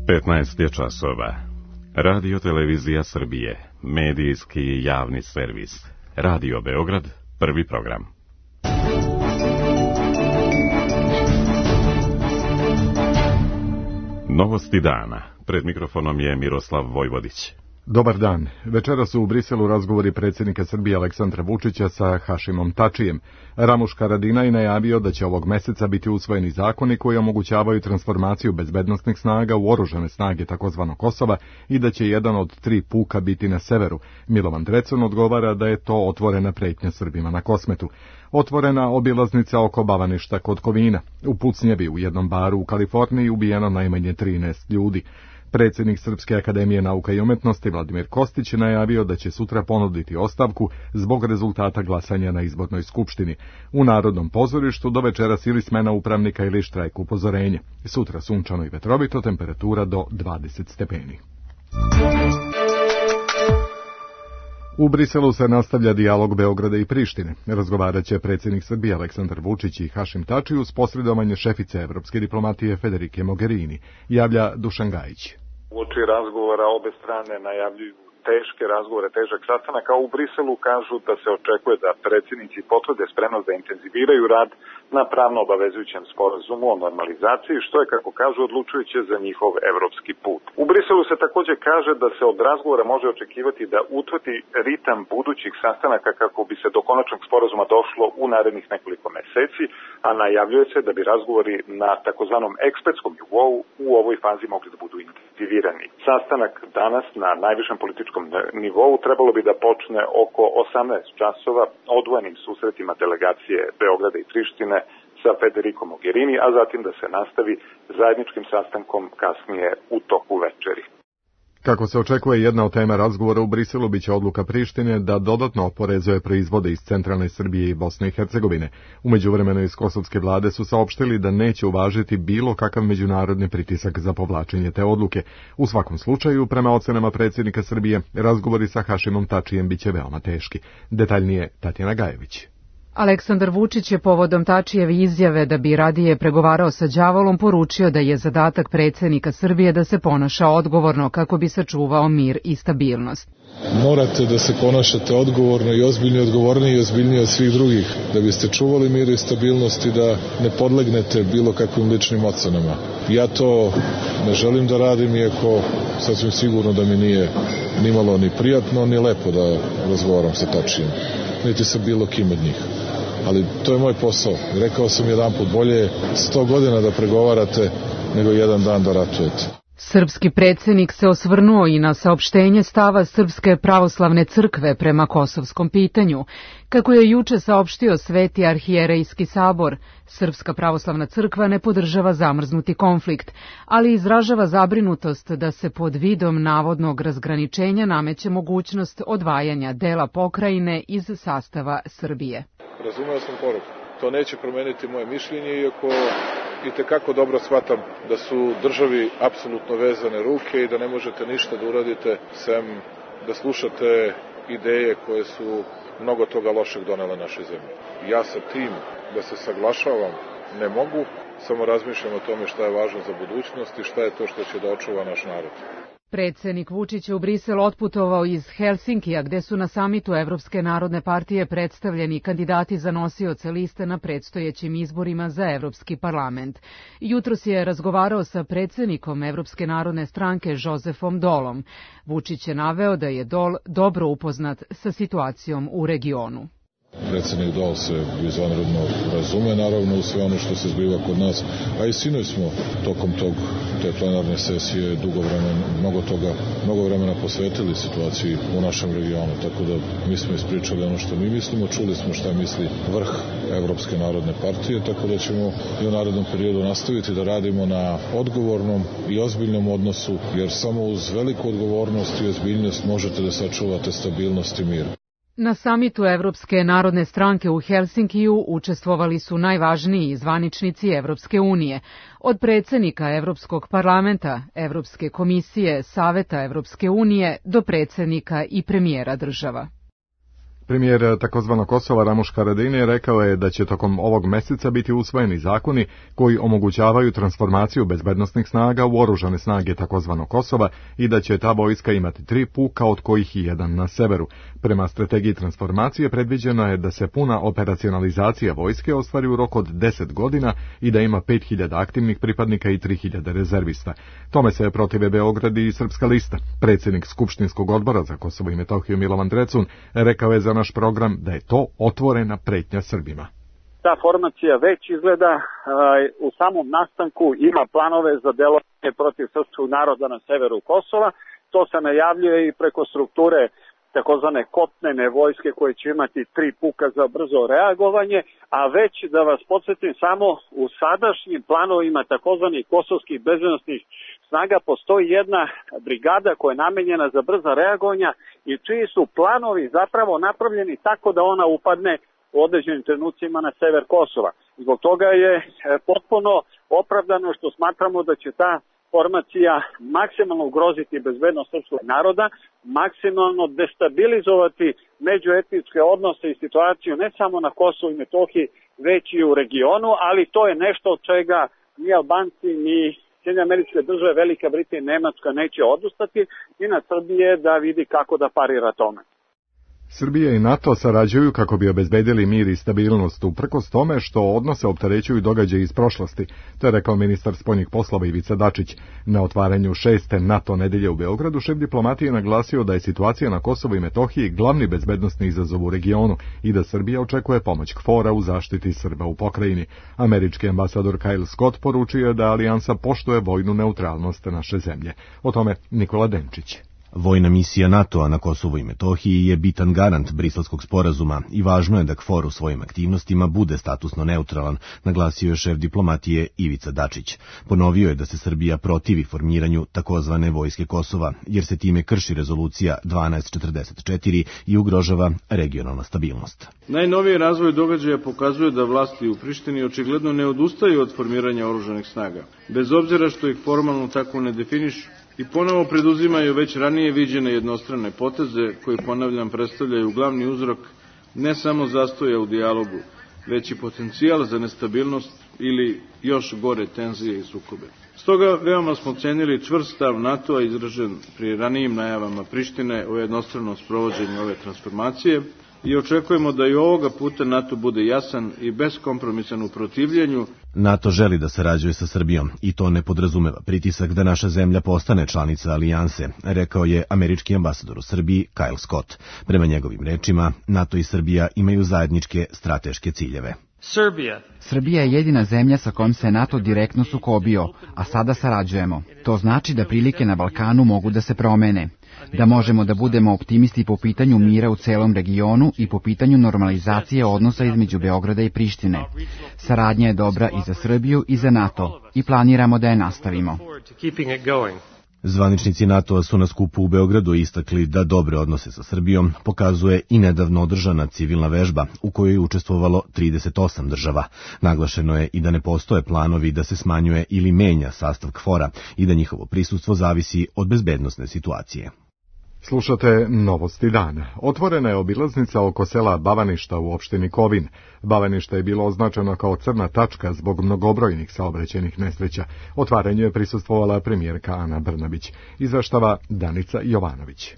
15 je časova. Radio Televizija Srbije, medijski javni servis. Radio Beograd, prvi program. Novosti dana. Pred mikrofonom je Miroslav Vojvodić. Dobar dan. Večeras su u Briselu razgovori predsjednika Srbije Aleksandra Vučića sa Hašimom Tačijem. Ramuš Haradinaj najavio da će ovog meseca biti usvojeni zakoni koji omogućavaju transformaciju bezbednosnih snaga u oružane snage tzv. Kosova i da će jedan od 3 puka biti na severu. Milovan Drecun odgovara da je to otvorena pretnja Srbima na Kosmetu. Otvorena obilaznica oko Bavaništa kod Kovina. U pucnjevi u jednom baru u Kaliforniji ubijeno najmanje 13 ljudi. Predsjednik Srpske akademije nauka i umetnosti Vladimir Kostić najavio da će sutra ponuditi ostavku zbog rezultata glasanja na izbornoj skupštini. U Narodnom pozorištu do večeras ili smena upravnika ili štrajk upozorenje. Sutra sunčano i vetrovito, temperatura do 20 stepeni. U Briselu se nastavlja dijalog Beograda i Prištine. Razgovarat će predsjednik Srbije Aleksandar Vučić i Hašim Tači uz posredovanje šefice evropske diplomatije Federike Mogherini, javlja Dušan Gajić. Uoči razgovora obe strane najavljuju teške razgovore, težak sastanak, a u Briselu kažu da se očekuje da predsjednici potvrde spremnost da intenziviraju rad na pravno obavezujućem sporazumu o normalizaciji, što je, kako kažu, odlučujuće za njihov evropski put. U Briselu se također kaže da se od razgovora može očekivati da utvrdi ritam budućih sastanaka kako bi se do konačnog sporazuma došlo u narednih nekoliko meseci, a najavljuje se da bi razgovori na takozvanom ekspertskom nivou u ovoj fazi mogli da budu intenzivirani. Sastanak danas na najvišem političkom nivou trebalo bi da počne oko 18 časova odvojenim susretima delegacije Beograda i Prištine sa Federikom Mogherini, a zatim da se nastavi zajedničkim sastankom kasnije u toku večeri. Kako se očekuje, jedna od tema razgovora u Briselu biće odluka Prištine da dodatno oporezuje proizvode iz centralne Srbije i Bosne i Hercegovine. U međuvremenu iz kosovske vlade su saopštili da neće uvažiti bilo kakav međunarodni pritisak za povlačenje te odluke. U svakom slučaju, prema ocenama predsjednika Srbije, razgovori sa Hašimom Tačijem biće veoma teški. Detaljnije Tatjana Gajević. Aleksandar Vučić je povodom Tačijeve izjave da bi radije pregovarao sa đavolom poručio da je zadatak predsjednika Srbije da se ponaša odgovorno kako bi sačuvao mir i stabilnost. Morate da se ponašate odgovorno i odgovorniji i ozbiljniji od svih drugih, da biste čuvali mir i stabilnost i da ne podlegnete bilo kakvim ličnim ocenama. Ja to ne želim da radim, iako sasvim sigurno da mi nije nimalo ni prijatno ni lepo da razgovaram sa Tačijem, niti sa bilo kim od njih. Ali to je moj posao. Rekao sam jedanput, bolje je 100 godina da pregovarate nego jedan dan da ratujete. Srpski predsjednik se osvrnuo i na saopštenje stava Srpske pravoslavne crkve prema kosovskom pitanju. Kako je juče saopštio Sveti arhijerejski sabor, Srpska pravoslavna crkva ne podržava zamrznuti konflikt, ali izražava zabrinutost da se pod vidom navodnog razgraničenja nameće mogućnost odvajanja dela pokrajine iz sastava Srbije. Razumeo sam poruku. To neće promeniti moje mišljenje, iako itekako dobro shvatam da su državi apsolutno vezane ruke i da ne možete ništa da uradite sem da slušate ideje koje su mnogo toga lošeg donele našoj zemlji. Ja sa tim da se saglašavam ne mogu, samo razmišljam o tome šta je važno za budućnost i šta je to što će da očuva naš narod. Predsjednik Vučić je u Brisel otputovao iz Helsinkija, gde su na samitu Evropske narodne partije predstavljeni kandidati za nosioce liste na predstojećim izborima za Evropski parlament. Jutros je razgovarao sa predsjednikom Evropske narodne stranke Josefom Dolom. Vučić je naveo da je Dol dobro upoznat sa situacijom u regionu. Predsjednik Dol se izvanredno razume, naravno, u sve ono što se zbiva kod nas, a i sinoć smo tokom te plenarne sesije mnogo vremena posvetili situaciji u našem regionu, tako da mi smo ispričali ono što mi mislimo, čuli smo šta misli vrh Evropske narodne partije, tako da ćemo i u narednom periodu nastaviti da radimo na odgovornom i ozbiljnom odnosu, jer samo uz veliku odgovornost i ozbiljnost možete da sačuvate stabilnost i mir. Na samitu Evropske narodne stranke u Helsinkiju učestvovali su najvažniji zvaničnici Evropske unije, od predsjednika Evropskog parlamenta, Evropske komisije, Saveta Evropske unije do predsjednika i premijera država. Premijer takozvanog Kosova Ramuš Haradinaj rekao je da će tokom ovog meseca biti usvojeni zakoni koji omogućavaju transformaciju bezbednosnih snaga u oružane snage takozvanog Kosova i da će ta vojska imati 3 puka, od kojih i jedan na severu. Prema strategiji transformacije predviđeno je da se puna operacionalizacija vojske ostvari u roku od 10 godina i da ima 5000 aktivnih pripadnika i 3000 rezervista. Tome se protive Beograd i Srpska lista. Predsjednik Skupštinskog odbora za Kosovo i Metohiju Milovan Drecun rekao je za naš program da je to otvorena pretnja Srbima. Ta formacija već izgleda u samom nastanku ima planove za delovanje protiv srpskog naroda na severu Kosova. To se najavljuje i preko strukture takozvane kopnene vojske koje će imati 3 puka za brzo reagovanje, a već da vas podsjetim samo u sadašnjim planovima takozvanih kosovskih bezbednosnih snaga postoji jedna brigada koja je namenjena za brza reagovanja i čiji su planovi zapravo napravljeni tako da ona upadne u određenim trenucima na sever Kosova. Zbog toga je potpuno opravdano što smatramo da će ta formacija maksimalno ugroziti bezbednost srpskog naroda, maksimalno destabilizovati međuetničke odnose i situaciju ne samo na Kosovu i Metohiji, već i u regionu, ali to je nešto od čega ni Albanci, ni Sjedinjene Američke Države, Velika Britanija i Nemačka neće odustati i na Srbije da vidi kako da parira tome. Srbija i NATO sarađuju kako bi obezbedili mir i stabilnost, uprkos tome što odnose opterećuju događaje iz prošlosti, to je rekao ministar spoljnih poslova Ivica Dačić. Na otvaranju 6. NATO nedelje u Beogradu šef diplomatije naglasio da je situacija na Kosovu i Metohiji glavni bezbednosni izazov u regionu i da Srbija očekuje pomoć KFOR-a u zaštiti Srba u pokrajini. Američki ambasador Kyle Scott poručio da alijansa poštuje vojnu neutralnost naše zemlje. O tome Nikola Denčić. Vojna misija NATO-a na Kosovu i Metohiji je bitan garant Briselskog sporazuma i važno je da KFOR u svojim aktivnostima bude statusno neutralan, naglasio je šef diplomatije Ivica Dačić. Ponovio je da se Srbija protivi formiranju takozvane vojske Kosova, jer se time krši rezolucija 1244 i ugrožava regionalna stabilnost. Najnoviji razvoj događaja pokazuje da vlasti u Prištini očigledno ne odustaju od formiranja oružanih snaga, bez obzira što ih formalno tako ne definišu, i ponovo preduzimaju već ranije viđene jednostrane poteze koji, ponavljam, predstavljaju glavni uzrok ne samo zastoja u dijalogu, već i potencijal za nestabilnost ili još gore tenzije i sukobe. Stoga veoma smo cenili čvrst stav NATO-a izražen pri ranijim najavama Prištine o jednostranom sprovođenju ove transformacije i očekujemo da i ovoga puta NATO bude jasan i beskompromisan u protivljenju. NATO želi da sarađuje sa Srbijom i to ne podrazumeva pritisak da naša zemlja postane članica alijanse, rekao je američki ambasador u Srbiji Kyle Scott. Prema njegovim rečima, NATO i Srbija imaju zajedničke strateške ciljeve. Srbija je jedina zemlja sa kojom se NATO direktno sukobio, a sada sarađujemo. To znači da prilike na Balkanu mogu da se promene, da možemo da budemo optimisti po pitanju mira u celom regionu i po pitanju normalizacije odnosa između Beograda i Prištine. Saradnja je dobra i za Srbiju i za NATO i planiramo da je nastavimo. Zvaničnici NATO-a su na skupu u Beogradu istakli da dobre odnose sa Srbijom pokazuje i nedavno održana civilna vežba u kojoj je učestvovalo 38 država. Naglašeno je i da ne postoje planovi da se smanjuje ili menja sastav KFOR-a i da njihovo prisustvo zavisi od bezbednosne situacije. Slušate Novosti dana. Otvorena je obilaznica oko sela Bavaništa u opštini Kovin. Bavanište je bilo označeno kao crna tačka zbog mnogobrojnih saobraćajnih nesreća. Otvaranju je prisustvovala premijerka Ana Brnabić. Izveštava Danica Jovanović.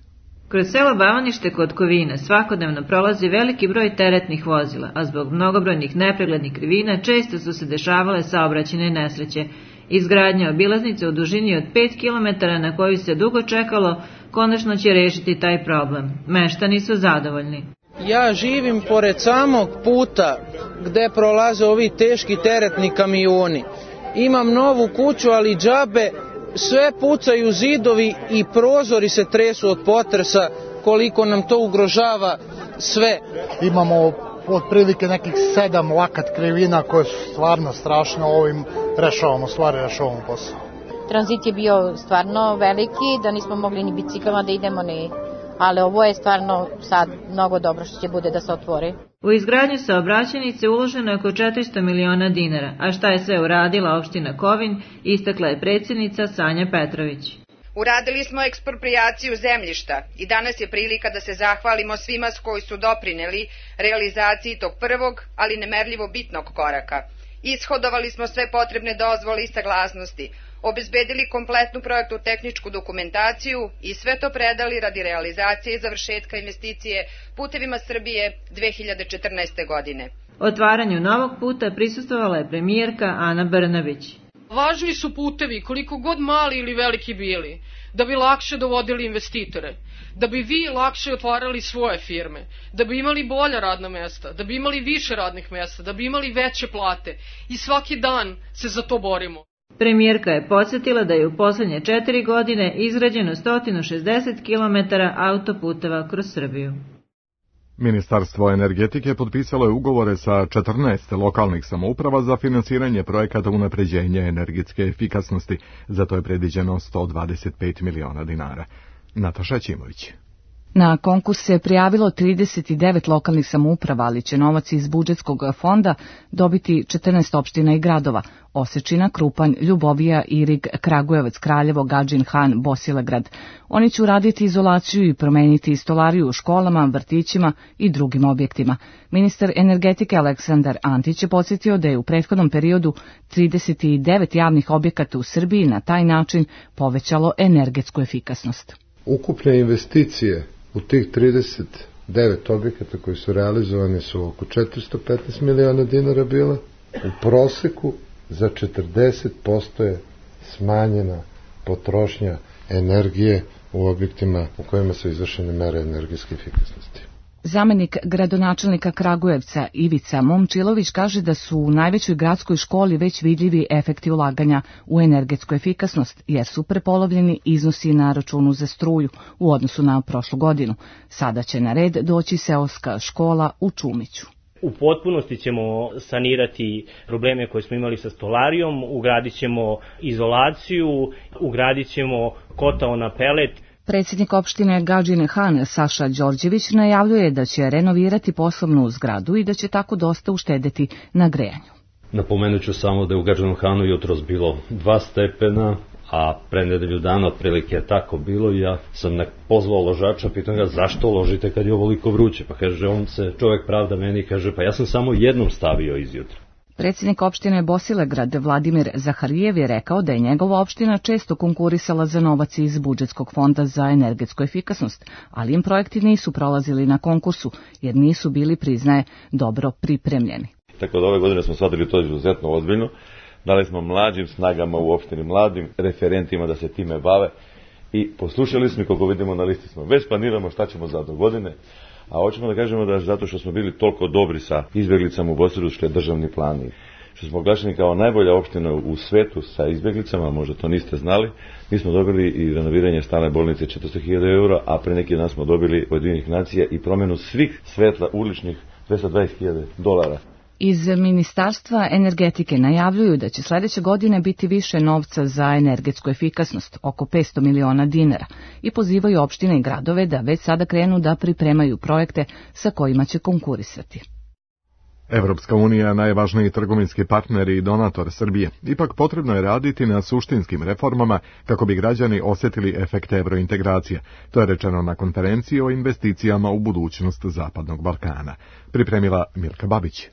Kroz selo Bavanište kod Kovina svakodnevno prolazi veliki broj teretnih vozila, a zbog mnogobrojnih nepreglednih krivina često su se dešavale saobraćajne nesreće. Izgradnja obilaznice u dužini od 5 km na koju se dugo čekalo, konačno će rešiti taj problem. Meštani su zadovoljni. Ja živim pored samog puta gde prolaze ovi teški teretni kamioni. Imam novu kuću, ali džabe, sve pucaju zidovi i prozori se tresu od potresa, koliko nam to ugrožava sve. Imamo otprilike nekih 7 lakat krivina koje su stvarno strašno, ovim rešavamo posao. Tranzit je bio stvarno veliki, da nismo mogli ni biciklama da idemo, ali ovo je stvarno sad mnogo dobro što će bude da se otvori. U izgradnju saobraćajnice uloženo je oko 400 miliona dinara, a šta je sve uradila opština Kovin, istakla je predsjednica Sanja Petrović. Uradili smo eksproprijaciju zemljišta i danas je prilika da se zahvalimo svima koji su doprineli realizaciji tog prvog, ali nemerljivo bitnog koraka. Ishodovali smo sve potrebne dozvole i saglasnosti, obezbedili kompletnu projektnu tehničku dokumentaciju i sve to predali radi realizacije i završetka investicije Putevima Srbije 2014. godine. Otvaranju novog puta prisustvovala je premijerka Ana Brnabić. Važni su putevi, koliko god mali ili veliki bili, da bi lakše dovodili investitore, da bi vi lakše otvarali svoje firme, da bi imali bolja radna mesta, da bi imali više radnih mesta, da bi imali veće plate i svaki dan se za to borimo. Premijerka je podsjetila da je u poslednje 4 godine izgrađeno 160 km autoputeva kroz Srbiju. Ministarstvo energetike potpisalo je ugovore sa 14 lokalnih samouprava za finansiranje projekata unapređenja energetske efikasnosti. Za to je predviđeno 125 miliona dinara. Nataša Ćimović. Na konkurs se prijavilo 39 lokalnih samouprava, ali će novac iz budžetskog fonda dobiti 14 opština i gradova: Osečina, Krupanj, Ljubovija, Irig, Kragujevac, Kraljevo, Gadžin Han, Bosilegrad. Oni će uraditi izolaciju i promeniti stolariju u školama, vrtićima i drugim objektima. Ministar energetike Aleksandar Antić je podsjetio da je u prethodnom periodu 39 javnih objekata u Srbiji na taj način povećalo energetsku efikasnost. Ukupne investicije u tih 39 objekata koji su realizovani su oko 415 miliona dinara bila. U proseku za 40% je smanjena potrošnja energije u objektima u kojima su izvršene mere energetske efikasnosti. Zamenik gradonačelnika Kragujevca Ivica Momčilović kaže da su u najvećoj gradskoj školi već vidljivi efekti ulaganja u energetsku efikasnost, jer su prepolovljeni iznosi na računu za struju u odnosu na prošlu godinu. Sada će na red doći seoska škola u Čumiću. U potpunosti ćemo sanirati probleme koje smo imali sa stolarijom, ugradit ćemo izolaciju, ugradit ćemo kotao na pelet. Predsjednik opštine Gadžin Han Saša Đorđević najavljuje da će renovirati poslovnu zgradu i da će tako dosta uštedeti na grejanju. Napomenut ću samo da je u Gadžinu Hanu jutros bilo 2 stepena, a pre nedelju dana otprilike je tako bilo i ja sam pozvao ložača, pitam ga zašto ložite kad je ovoliko vruće, pa kaže on se čovjek pravda meni i kaže pa ja sam samo jednom stavio izjutra. Predsjednik opštine Bosilegrad Vladimir Zaharijev je rekao da je njegova opština često konkurisala za novac iz budžetskog fonda za energetsku efikasnost, ali im projekti nisu prolazili na konkursu jer nisu bili, priznaje, dobro pripremljeni. Tako da ove godine smo shvatili to izuzetno ozbiljno. Dali smo mlađim snagama u opštini, mladim referentima da se time bave i poslušali smo i kako vidimo na listi smo. Već planiramo šta ćemo za do godine. A hoćemo da kažemo da zato što smo bili toliko dobri sa izbjeglicama u Bosilegradu, što je državni plan i što smo oglašeni kao najbolja opština u svetu sa izbjeglicama, možda to niste znali, mi smo dobili i renoviranje stalne bolnice 400.000 eura, a pre neki dan smo dobili od Ujedinjenih nacija i promjenu svih svetla uličnih $220.000. Iz Ministarstva energetike najavljuju da će sledeće godine biti više novca za energetsku efikasnost, oko 500 miliona dinara, i pozivaju opštine i gradove da već sada krenu da pripremaju projekte sa kojima će konkurisati. Evropska unija, najvažniji trgovinski partner i donator Srbije, ipak potrebno je raditi na suštinskim reformama kako bi građani osjetili efekte evrointegracije. To je rečeno na konferenciji o investicijama u budućnost Zapadnog Balkana. Pripremila Milka Babić.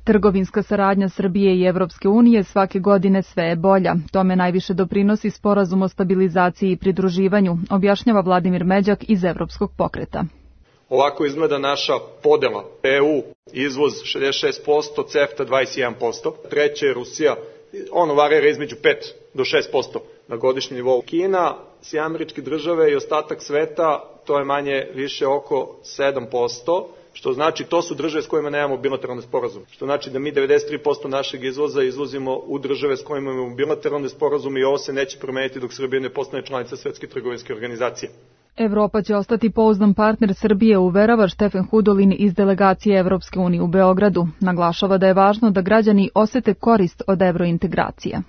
Trgovinska saradnja Srbije i Evropske unije svake godine sve je bolja. Tome najviše doprinosi sporazum o stabilizaciji i pridruživanju, objašnjava Vladimir Međak iz Evropskog pokreta. Ovako izgleda naša podela. EU izvoz 66%, CEFTA 21%. Treće je Rusija, ono varira između 5 do 6% na godišnjem nivou. Kina, Sjedinjene Države i ostatak sveta, to je manje više oko 7%. Što znači to su države s kojima nemamo bilateralne sporazume. Što znači da mi 93% našeg izvoza izvozimo u države s kojima imamo bilateralne sporazume i ovo se neće promeniti dok Srbija ne postane članica Svetske trgovinske organizacije. Evropa će ostati pouzdan partner Srbije, uverava Štefan Hudolin iz delegacije Evropske unije u Beogradu. Naglašava da je važno da građani osete korist od evrointegracija.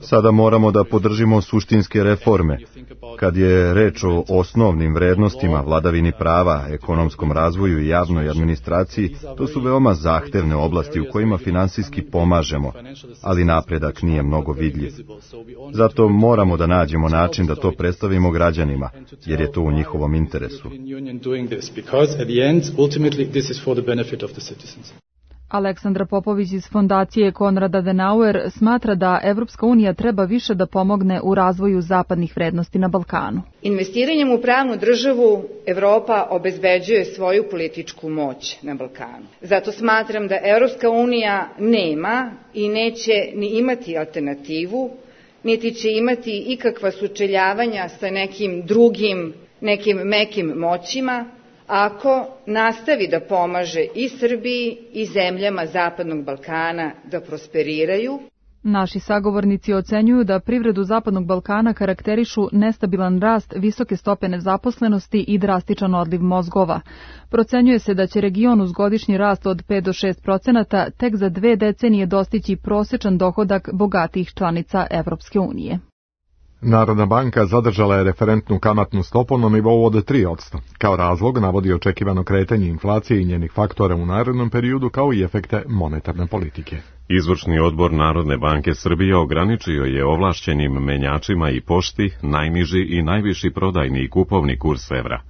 Sada moramo da podržimo suštinske reforme. Kad je reč o osnovnim vrednostima, vladavini prava, ekonomskom razvoju i javnoj administraciji, to su veoma zahtevne oblasti u kojima finansijski pomažemo, ali napredak nije mnogo vidljiv. Zato moramo da nađemo način da to predstavimo građanima, jer je to u njihovom interesu. Aleksandra Popović iz fondacije Konrad Adenauer smatra da Evropska unija treba više da pomogne u razvoju zapadnih vrednosti na Balkanu. Investiranjem u pravnu državu Evropa obezbeđuje svoju političku moć na Balkanu. Zato smatram da Evropska unija nema i neće ni imati alternativu, niti će imati ikakva sučeljavanja sa nekim drugim, nekim mekim moćima, ako nastavi da pomaže i Srbiji i zemljama Zapadnog Balkana da prosperiraju. Naši sagovornici ocenjuju da privredu Zapadnog Balkana karakterišu nestabilan rast, visoke stope nezaposlenosti i drastičan odliv mozgova. Procenjuje se da će region uz godišnji rast od 5 do 6% tek za 2 decenije dostići prosječan dohodak bogatijih članica Evropske unije. Narodna banka zadržala je referentnu kamatnu stopu na nivou od 3%. Kao razlog navodi očekivano kretanje inflacije i njenih faktora u narednom periodu, kao i efekte monetarne politike. Izvršni odbor Narodne banke Srbije ograničio je ovlašćenim menjačima i pošti najniži i najviši prodajni i kupovni kurs evra.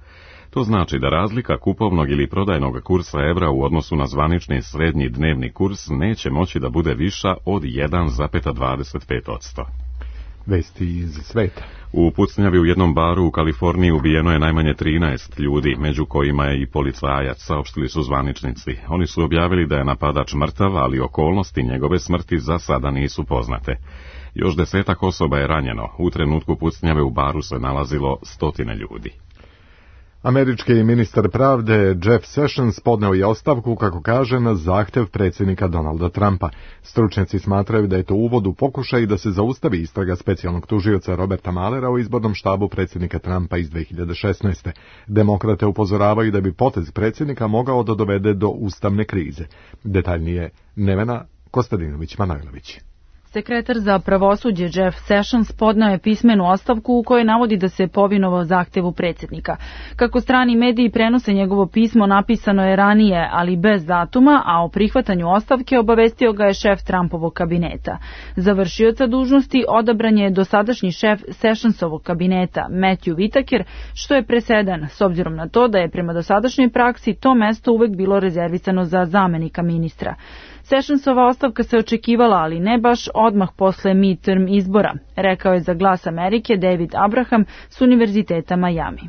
To znači da razlika kupovnog ili prodajnog kursa evra u odnosu na zvanični srednji dnevni kurs neće moći da bude viša od 1,25%. Vesti iz sveta. U pucnjavi u jednom baru u Kaliforniji ubijeno je najmanje 13 ljudi, među kojima je i policajac, saopštili su zvaničnici. Oni su objavili da je napadač mrtav, ali okolnosti njegove smrti za sada nisu poznate. Još 10 osoba je ranjeno. U trenutku pucnjave u baru se nalazilo 100 ljudi. Američki ministar pravde Jeff Sessions podneo je ostavku, kako kaže, na zahtev predsjednika Donalda Trumpa. Stručnjaci smatraju da je to uvod u pokušaj da se zaustavi istraga specijalnog tužioca Roberta Muellera o izbornom štabu predsjednika Trumpa iz 2016. Demokrate upozoravaju da bi potez predsjednika mogao da dovede do ustavne krize. Detaljnije Nevena Kostadinović-Manojlović. Sekretar za pravosuđe Jeff Sessions podneo je pismenu ostavku u kojoj navodi da se povinovao zahtevu predsjednika. Kako strani mediji prenose njegovo pismo, napisano je ranije, ali bez datuma, a o prihvatanju ostavke obavestio ga je šef Trumpovog kabineta. Za vršioca dužnosti odabran je dosadašnji šef Sessionsovog kabineta, Matthew Whitaker, što je presedan, s obzirom na to da je prema dosadašnjoj praksi to mesto uvek bilo rezervisano za zamenika ministra. Sessionsova ostavka se očekivala, ali ne baš odmah posle midterm izbora, rekao je za Glas Amerike David Abraham s Univerziteta Miami.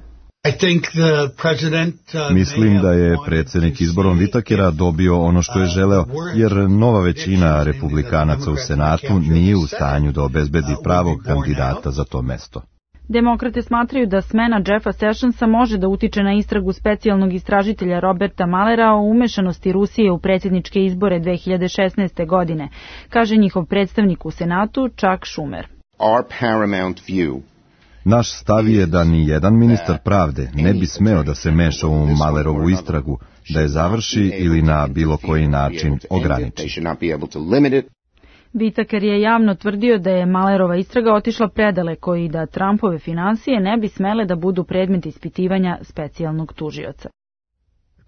Mislim da je predsjednik izborom Whitakera dobio ono što je želeo, jer nova većina republikanaca u Senatu nije u stanju da obezbedi pravog kandidata za to mesto. Demokrate smatraju da smena Jeffa Sessionsa može da utiče na istragu specijalnog istražitelja Roberta Muellera o umešanosti Rusije u predsjedničke izbore 2016. godine, kaže njihov predstavnik u Senatu Chuck Schumer. Naš stav je da ni jedan ministar pravde ne bi smeo da se meša u Muellerovu istragu, da je završi ili na bilo koji način ograniči. Whitaker je javno tvrdio da je Muellerova istraga otišla predaleko i da Trumpove finansije ne bi smele da budu predmet ispitivanja specijalnog tužioca.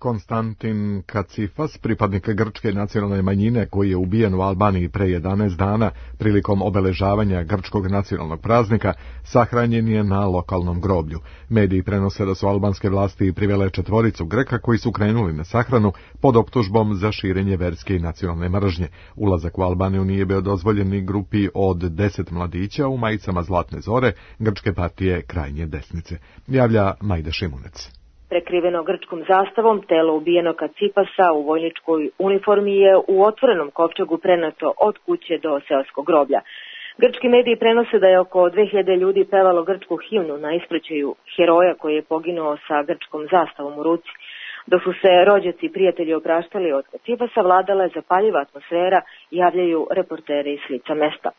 Konstantin Kacifas, pripadnik grčke nacionalne manjine koji je ubijen u Albaniji pre 11 dana prilikom obeležavanja grčkog nacionalnog praznika, sahranjen je na lokalnom groblju. Mediji prenose da su albanske vlasti privele 4 Greka koji su krenuli na sahranu pod optužbom za širenje verske i nacionalne mržnje. Ulazak u Albaniju nije bio dozvoljen ni grupi od 10 mladića u majicama Zlatne zore, grčke partije krajnje desnice. Javlja Majda Šimunec. Prekriveno grčkom zastavom, telo ubijenog Kacifasa u vojničkoj uniformi je u otvorenom kovčegu prenato od kuće do seoskog groblja. Grčki mediji prenose da je oko 2000 ljudi pevalo grčku himnu na ispraćaju heroja koji je poginuo sa grčkom zastavom u ruci. Dok su se rođaci i prijatelji opraštali od Kacifasa, vladala je zapaljiva atmosfera, javljaju reporteri iz lica mesta.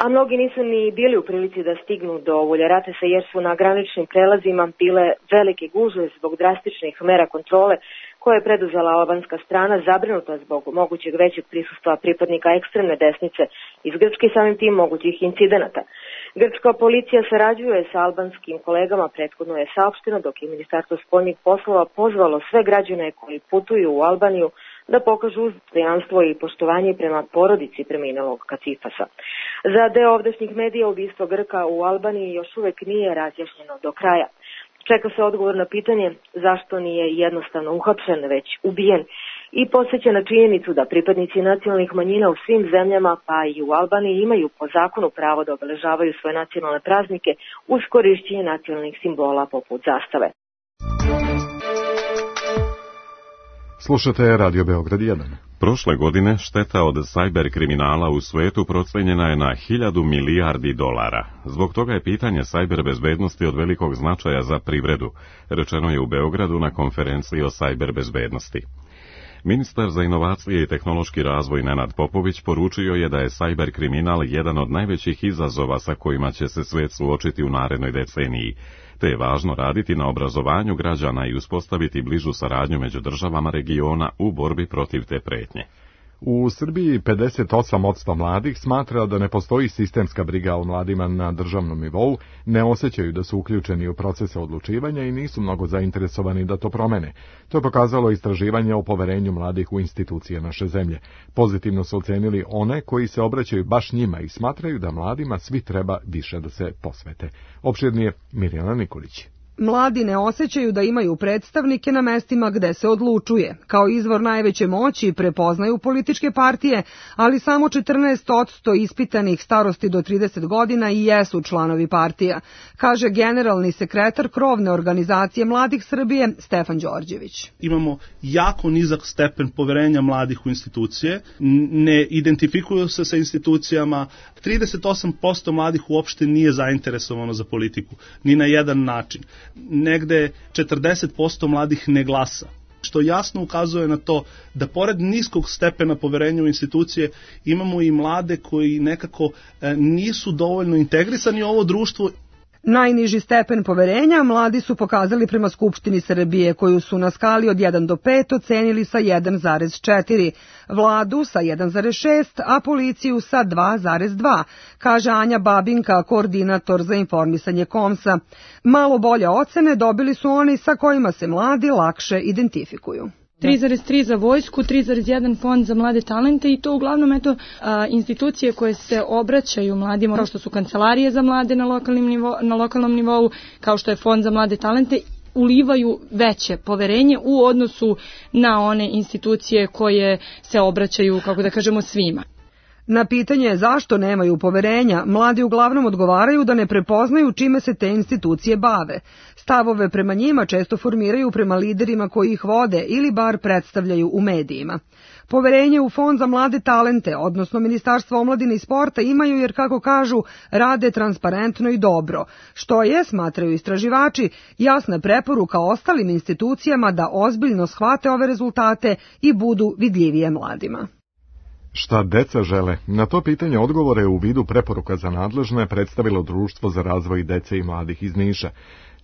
A mnogi nisu ni bili u prilici da stignu do Vuljaratesa jer su na graničnim prelazima bile velike gužve zbog drastičnih mera kontrole koje je preduzela albanska strana, zabrinuta zbog mogućeg većeg prisustva pripadnika ekstremne desnice iz Grčke i samim tim mogućih incidenata. Grčka policija sarađuje sa albanskim kolegama, prethodno je saopšteno, dok je Ministarstvo spoljnih poslova pozvalo sve građane koji putuju u Albaniju da pokažu dostojanstvo i poštovanje prema porodici preminulog Kacifasa. Za deo ovdašnjih medija ubistvo Grka u Albaniji još uvek nije razjašnjeno do kraja. Čeka se odgovor na pitanje zašto nije jednostavno uhapšen, već ubijen, i podsjeća na činjenicu da pripadnici nacionalnih manjina u svim zemljama, pa i u Albaniji, imaju po zakonu pravo da obeležavaju svoje nacionalne praznike uz korišćenje nacionalnih simbola poput zastave. Slušate Radio Beograd 1. Prošle godine šteta od sajber kriminala u svetu procenjena je na 1000 milijardi dolara. Zbog toga je pitanje sajber bezbednosti od velikog značaja za privredu, rečeno je u Beogradu na konferenciji o sajber bezbednosti. Ministar za inovacije i tehnološki razvoj Nenad Popović poručio je da je sajber kriminal jedan od najvećih izazova sa kojima će se svet suočiti u narednoj deceniji, te je važno raditi na obrazovanju građana i uspostaviti bližu saradnju među državama regiona u borbi protiv te pretnje. U Srbiji 58% mladih smatra da ne postoji sistemska briga o mladima na državnom nivou, ne osjećaju da su uključeni u procese odlučivanja i nisu mnogo zainteresovani da to promene. To je pokazalo istraživanje o poverenju mladih u institucije naše zemlje. Pozitivno su ocenili one koji se obraćaju baš njima i smatraju da mladima svi treba više da se posvete. Opširnije Mirjana Nikolić. Mladi ne osjećaju da imaju predstavnike na mestima gde se odlučuje. Kao izvor najveće moći prepoznaju političke partije, ali samo 14% ispitanih starosti do 30 godina i jesu članovi partija, kaže generalni sekretar krovne organizacije Mladih Srbije Stefan Đorđević. Imamo jako nizak stepen poverenja mladih u institucije, ne identifikuju se sa institucijama, 38% mladih uopšte nije zainteresovano za politiku, ni na jedan način. Negde 40% mladih ne glasa, što jasno ukazuje na to da pored niskog stepena poverenja u institucije imamo i mlade koji nekako nisu dovoljno integrisani u ovo društvo. Najniži stepen poverenja mladi su pokazali prema Skupštini Srbije, koju su na skali od 1 do 5 ocenili sa 1,4, vladu sa 1,6, a policiju sa 2,2, kaže Anja Babinka, koordinator za informisanje KOMS-a. Malo bolje ocene dobili su oni sa kojima se mladi lakše identifikuju. 3,3 za vojsku, 3,1 fond za mlade talente i to uglavnom institucije koje se obraćaju mladima, kao što su kancelarije za mlade na lokalnom nivou, kao što je fond za mlade talente, ulivaju veće poverenje u odnosu na one institucije koje se obraćaju, kako da kažemo, svima. Na pitanje zašto nemaju poverenja, mladi uglavnom odgovaraju da ne prepoznaju čime se te institucije bave. Stavove prema njima često formiraju prema liderima koji ih vode ili bar predstavljaju u medijima. Poverenje u Fond za mlade talente, odnosno Ministarstvo omladine i sporta, imaju jer, kako kažu, rade transparentno i dobro, što je, smatraju istraživači, jasna preporuka ostalim institucijama da ozbiljno shvate ove rezultate i budu vidljivije mladima. Šta deca žele? Na to pitanje odgovore u vidu preporuka za nadležne predstavilo Društvo za razvoj dece i mladih iz Niša.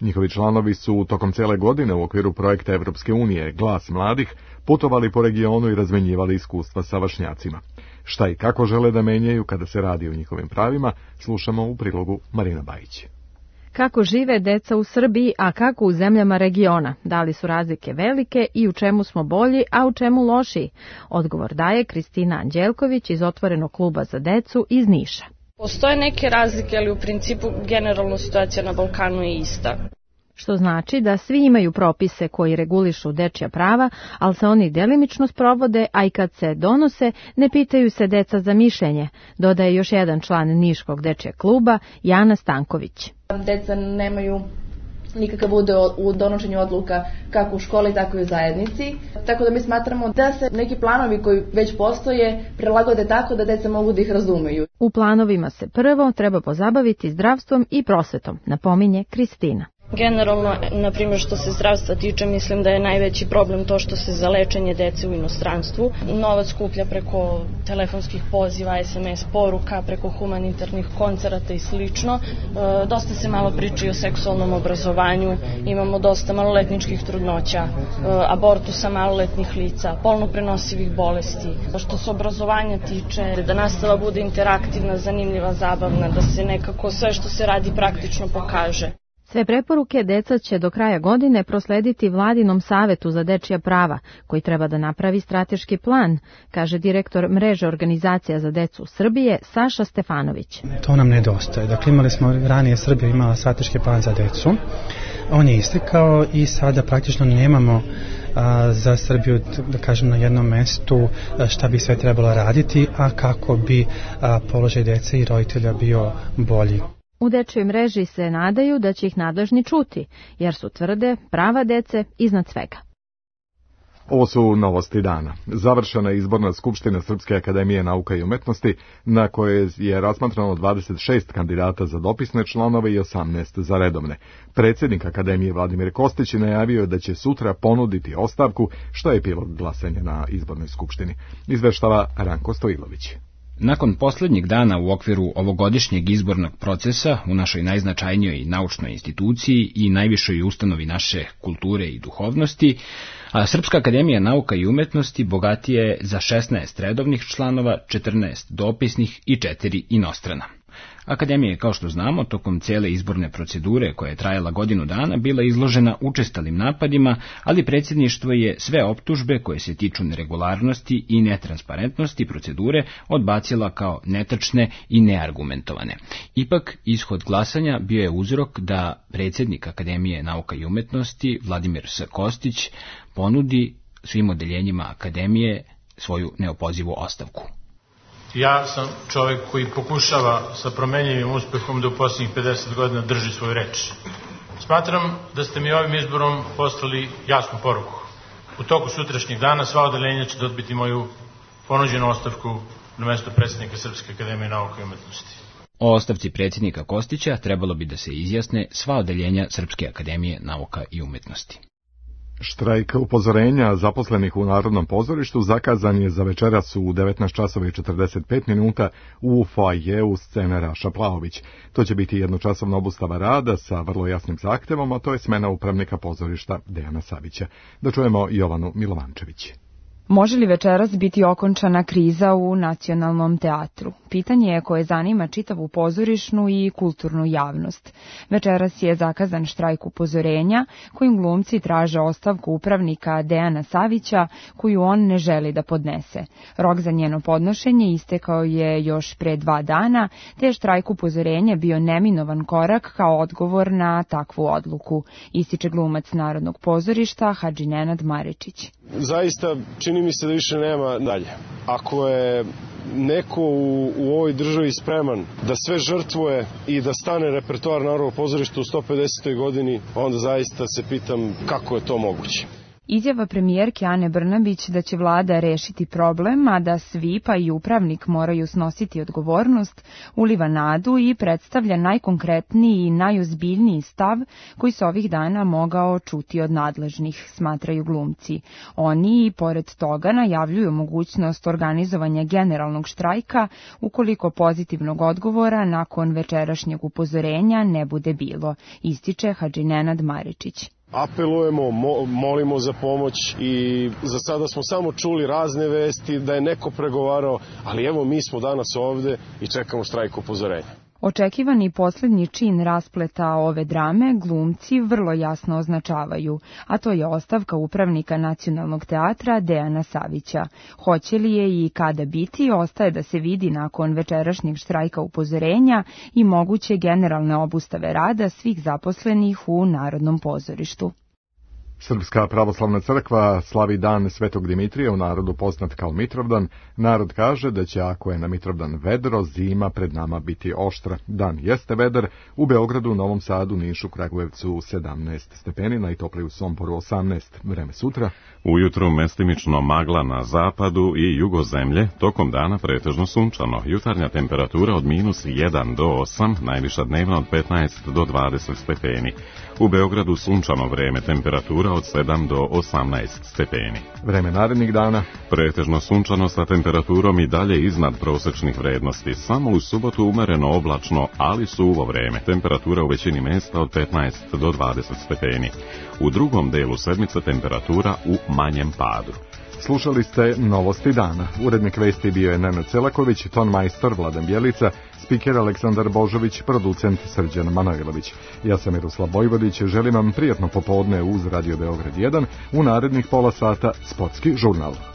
Njihovi članovi su tokom cele godine u okviru projekta Evropske unije Glas mladih putovali po regionu i razmenjivali iskustva sa vršnjacima. Šta i kako žele da menjaju kada se radi o njihovim pravima, slušamo u prilogu Marina Bajić. Kako žive deca u Srbiji, a kako u zemljama regiona? Da li su razlike velike i u čemu smo bolji, a u čemu lošiji? Odgovor daje Kristina Anđelković iz Otvorenog kluba za decu iz Niša. Postoje neke razlike, ali u principu generalno situacija na Balkanu je ista. Što znači da svi imaju propise koji regulišu dečja prava, ali se oni delimično sprovode, a i kad se donose, ne pitaju se deca za mišljenje, dodaje još jedan član Niškog dečjeg kluba, Jana Stanković. Deca nemaju nikakav udeo u donošenju odluka kako u školi, tako i u zajednici. Tako da mi smatramo da se neki planovi koji već postoje prilagode tako da deca mogu da ih razumeju. U planovima se prvo treba pozabaviti zdravstvom i prosvetom, napominje Kristina. Generalno, na primjer što se zdravstva tiče, mislim da je najveći problem to što se za lečenje dece u inostranstvu novac skuplja preko telefonskih poziva, SMS poruka, preko humanitarnih koncerata i slično. Dosta se malo priča o seksualnom obrazovanju, imamo dosta maloletničkih trudnoća, abortusa maloletnih lica, polno prenosivih bolesti. Što se obrazovanja tiče, da nastava bude interaktivna, zanimljiva, zabavna, da se nekako sve što se radi praktično pokaže. Sve preporuke deca će do kraja godine proslediti Vladinom savetu za dečija prava, koji treba da napravi strateški plan, kaže direktor mreže organizacija za decu Srbije Saša Stefanović. To nam nedostaje. Dakle, imali smo ranije, Srbija imala strateški plan za decu. On je istekao i sada praktično nemamo za Srbiju, da kažem, na jednom mestu šta bi sve trebalo raditi, a kako bi položaj dece i roditelja bio bolji. U dečjoj mreži se nadaju da će ih nadležni čuti, jer su tvrde prava dece iznad svega. Ovo su novosti dana. Završena je izborna skupština Srpske akademije nauka i umetnosti, na kojoj je razmatrano 26 kandidata za dopisne članove i 18 za redovne. Predsjednik akademije Vladimir Kostić najavio da će sutra ponuditi ostavku, što je epilog glasanja na izbornoj skupštini. Izveštava Ranko Stojilović. Nakon posljednjeg dana u okviru ovogodišnjeg izbornog procesa u našoj najznačajnijoj naučnoj instituciji i najvišoj ustanovi naše kulture i duhovnosti, Srpska akademija nauka i umetnosti bogatija je za 16 redovnih članova, 14 dopisnih i 4 inostrana. Akademija je, kao što znamo, tokom cijele izborne procedure, koja je trajala godinu dana, bila izložena učestalim napadima, ali predsjedništvo je sve optužbe koje se tiču neregularnosti i netransparentnosti procedure odbacila kao netačne i neargumentovane. Ipak, ishod glasanja bio je uzrok da predsjednik Akademije nauka i umetnosti Vladimir S. Kostić ponudi svim odeljenjima Akademije svoju neopozivu ostavku. Ja sam čovjek koji pokušava sa promenjivim uspehom da u posljednjih 50 godina drži svoju reč. Smatram da ste mi ovim izborom poslali jasnu poruku. U toku sutrašnjeg dana sva odeljenja će dobiti moju ponuđenu ostavku na mjesto predsjednika Srpske akademije nauke i umetnosti. O ostavci predsjednika Kostića trebalo bi da se izjasne sva odeljenja Srpske akademije nauka i umetnosti. Štrajk upozorenja zaposlenih u Narodnom pozorištu zakazan je za večeras u 19:45 u foajeu scene Raša Plaović. To će biti jednočasovna obustava rada sa vrlo jasnim zahtevom, a to je smena upravnika pozorišta Dejana Savića. Da čujemo Jovanu Milovančević. Može li večeras biti okončana kriza u Nacionalnom teatru? Pitanje je koje zanima čitavu pozorišnu i kulturnu javnost. Večeras je zakazan štrajk upozorenja kojim glumci traže ostavku upravnika Dejana Savića, koju on ne želi da podnese. Rok za njeno podnošenje istekao je još pre 2 dana, te je štrajk upozorenja bio neminovan korak kao odgovor na takvu odluku, ističe glumac Narodnog pozorišta Hadži Nenad Maričić. Zaista čini mi se da više nema dalje. Ako je neko u ovoj državi spreman da sve žrtvuje i da stane repertoar Narodnog pozorišta u 150. godini, onda zaista se pitam kako je to moguće. Izjava premijerke Ane Brnabić da će vlada rešiti problem, a da svi pa i upravnik moraju snositi odgovornost, uliva nadu i predstavlja najkonkretniji i najozbiljniji stav koji se ovih dana mogao čuti od nadležnih, smatraju glumci. Oni i pored toga najavljuju mogućnost organizovanja generalnog štrajka ukoliko pozitivnog odgovora nakon večerašnjeg upozorenja ne bude bilo, ističe Hadži Nenad Maričić. Apelujemo, molimo za pomoć i za sada smo samo čuli razne vesti da je neko pregovarao, ali evo mi smo danas ovde i čekamo štrajk upozorenja. Očekivani posljednji čin raspleta ove drame glumci vrlo jasno označavaju, a to je ostavka upravnika Nacionalnog teatra Dejana Savića. Hoće li je i kada biti, ostaje da se vidi nakon večerašnjeg štrajka upozorenja i moguće generalne obustave rada svih zaposlenih u Narodnom pozorištu. Srpska pravoslavna crkva slavi dan Svetog Dimitrija, u narodu poznat kao Mitrovdan. Narod kaže da će, ako je na Mitrovdan vedro, zima pred nama biti oštra. Dan jeste vedar, u Beogradu, Novom Sadu, Nišu, Kragujevcu 17 stepeni, najtoplije u Somboru 18. Vreme sutra. Ujutru mestimično magla na zapadu i jugozemlje, tokom dana pretežno sunčano. Jutarnja temperatura od -1 do 8, najviša dnevna od 15 do 20 stepeni. U Beogradu sunčano vreme, temperatura od 7 do 18 stepeni. Vreme narednih dana. Pretežno sunčano sa temperaturom i dalje iznad prosečnih vrednosti. Samo u subotu umereno oblačno, ali suvo vreme. Temperatura u većini mesta od 15 do 20 stepeni. U drugom delu sedmice temperatura u manjem padu. Slušali ste Novosti dana. Urednik vesti bio je Nenad Celaković, ton majstor Vladan Bjelica, spiker Aleksandar Božović, producent Srđan Manojlović. Ja sam Miroslav Vojvodić, želim vam prijatno popodne uz Radio Beograd 1, u narednih pola sata sportski žurnal.